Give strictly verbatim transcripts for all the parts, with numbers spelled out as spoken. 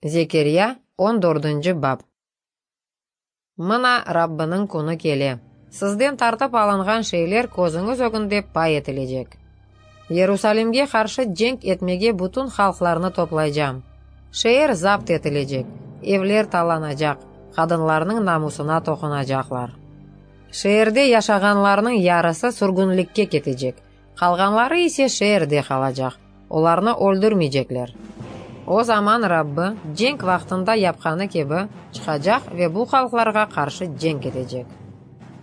Zekerya, on dördünci bap. Mına, Rabbiniñ künü kele. Sizden tartıp alınğan şeyler közüñiz ögünde pay etilecek. Yerusalimge qarşı cenk etmege bütün halqlarnı toplaycam. Şeer zapt etilecek, evler talanacaq, qadınlarnıñ namusına toqunacaqlar. Şeerde yaşağanlarnıñ yarısı sürgünlikke ketecek, qalğanları ise şeerde qalacaq, olarnı öldürmeycekler. O zaman Rabbi, cenk vaqtında yapqanı kibi, çıqacaq ve bu halqlarğa qarşı cenk etecek.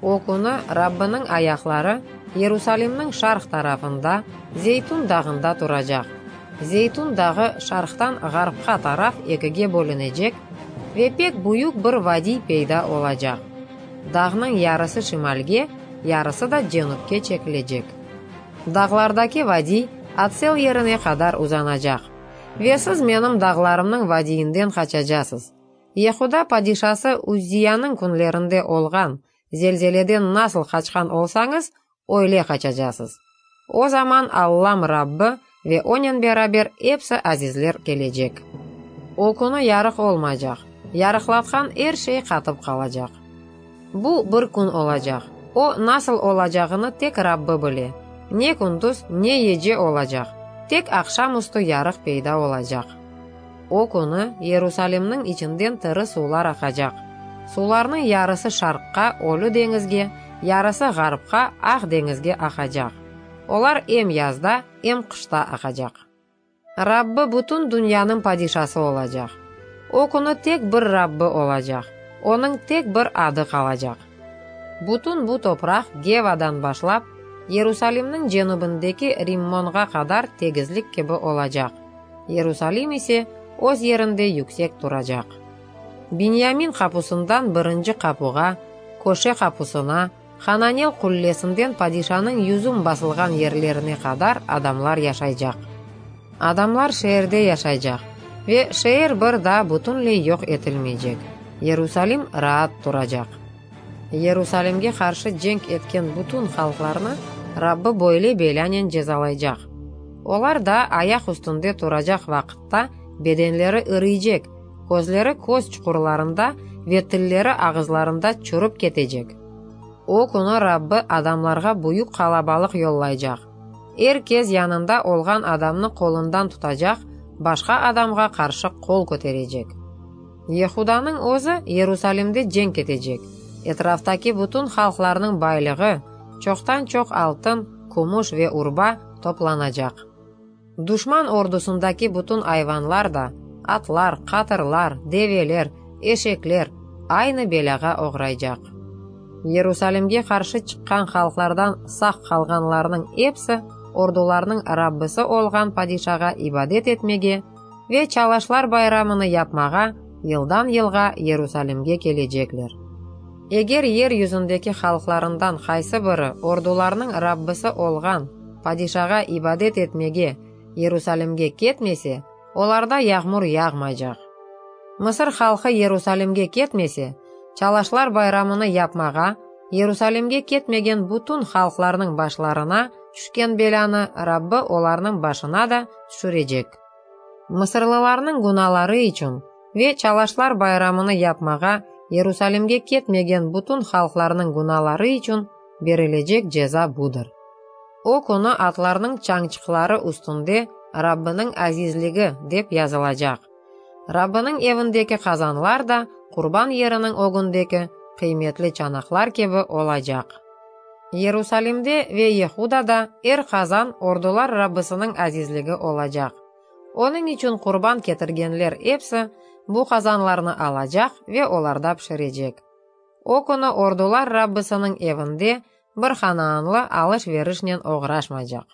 O künü Rabbiniñ ayaqları Yerusalimniñ şarq tarafında, Zeytun dağında turacaq. Zeytun dağı şarqtan ğarpqa taraf ekige bölünecek ve pek büyük bir vadiy peyda olacaq. Dağnıñ yarısı şimalge, yarısı da cenüpke çekilecek. Dağlardaki vadiy Atsel yerine qadar uzanacaq. Ve siz menim dağlarımnıñ vadiyinden qaçacasız. Yehuda padişası Uzziyanıñ künlerinde olğan zelzeleden nasıl qaçqan olsañız, öyle qaçacasız. O zaman Allam Rabbi ve onen beraber epsi azizler kelecek. O künü yarıq olmaycaq, yarıqlatqan er şey qatıp qalacaq. Bu bir kün olacaq, o nasıl olacağını tek Rabbi bile. Ne kündüz, ne gece olacaq, tek aqşam üstü yarıq peyda olacaq. O künü Yerusalimniñ içinden tiri suvlar aqacaq. Suvlarnıñ yarısı şarqqa, Ölü deñizge, yarısı ğarpqa, Aq deñizge aqacaq. Olar em yazda, em qışta aqacaq. Rabbi bütün dünyanıñ padişası olacaq. O künü tek bir Rabbi olacaq, onıñ tek bir adı qalacaq. Bütün bu topraq Gevadan başlap, Yerusalimniñ cenübindeki Rimmonğa qadar tegizlik kibi olacaq. Yerusalim ise öz yerinde yüksek turacaq. Binyamin qapusından birinci qapuğa, köşe qapusına, Hananel qullesinden padişanıñ yüzüm basılğan yerlerine qadar adamlar yaşaycaq. Adamlar şeerde yaşaycaq ve şeer bir daa bütünley yoq etilmeycek. Yerusalim raat turacaq. Yerusalimge qarşı cenk etken bütün halqlarnı Rabbi böyle belânen cezalaycaq. Olar daa ayaq üstünde turacaq vaqıtta bedenleri iriycek, közleri köz çuqurlarında ve tilleri ağızlarında çürip ketecek. O künü Rabbi adamlarğa büyük qalabalıq yollaycaq. Er kes yanında olğan adamnı qolundan tutacaq, başqa adamğa qarşı qol köterecek. Yehudanıñ özü Yerusalimde cenk etecek. Etraftaki bütün halqlarnıñ baylığı, çoqtan-çoq altın, kümüş ve urba toplanacaq. Duşman ordusındaki bütün ayvanlar da, atlar, qatırlar, develer, eşekler, aynı belâğa oğraycaq. Yerusalimge qarşı çıqqan halqlardan sağ qalğanlarnıñ episi ordularnıñ Rabbisi olğan padişağa ibadet etmege ve Çalaşlar bayramını yapmağa yıldan-yılğa Yerusalimge kelecekler. Eger yer yüzündeki halqlarından qaysı biri ordularnıñ Rabbisi olğan padişağa ibadet etmege Yerusalimge ketmese, olarda yağmur yağmaycaq. Mısır halqı Yerusalimge ketmese, Çalaşlar bayramını yapmağa Yerusalimge ketmegen bütün halqlarnıñ başlarına tüşken belânı Rabbi olarnıñ başına da tüşürecek. Mısırlılarnıñ günaları içün ve Çalaşlar bayramını yapmağa Yerusalimge ketmegen bütün halqlarnıñ günaları içün berilecek ceza budır. O künü atlarnıñ çañçıqları üstünde Rabbiniñ azizligi dep yazılacaq. Rabbiniñ evindeki qazanlar da qurban yeriniñ ögündeki qıymetli çanaqlar kibi olacaq. Yerusalimde ve Yehudada er qazan ordular Rabbisiniñ azizligi olacaq. Onıñ içün qurban ketirgenler episi bu qazanlarnı alacaq ve olarda pişirecek. O künü ordular Rabbisiniñ evinde bir hanaanlı alış-verişnen oğraşmaycaq.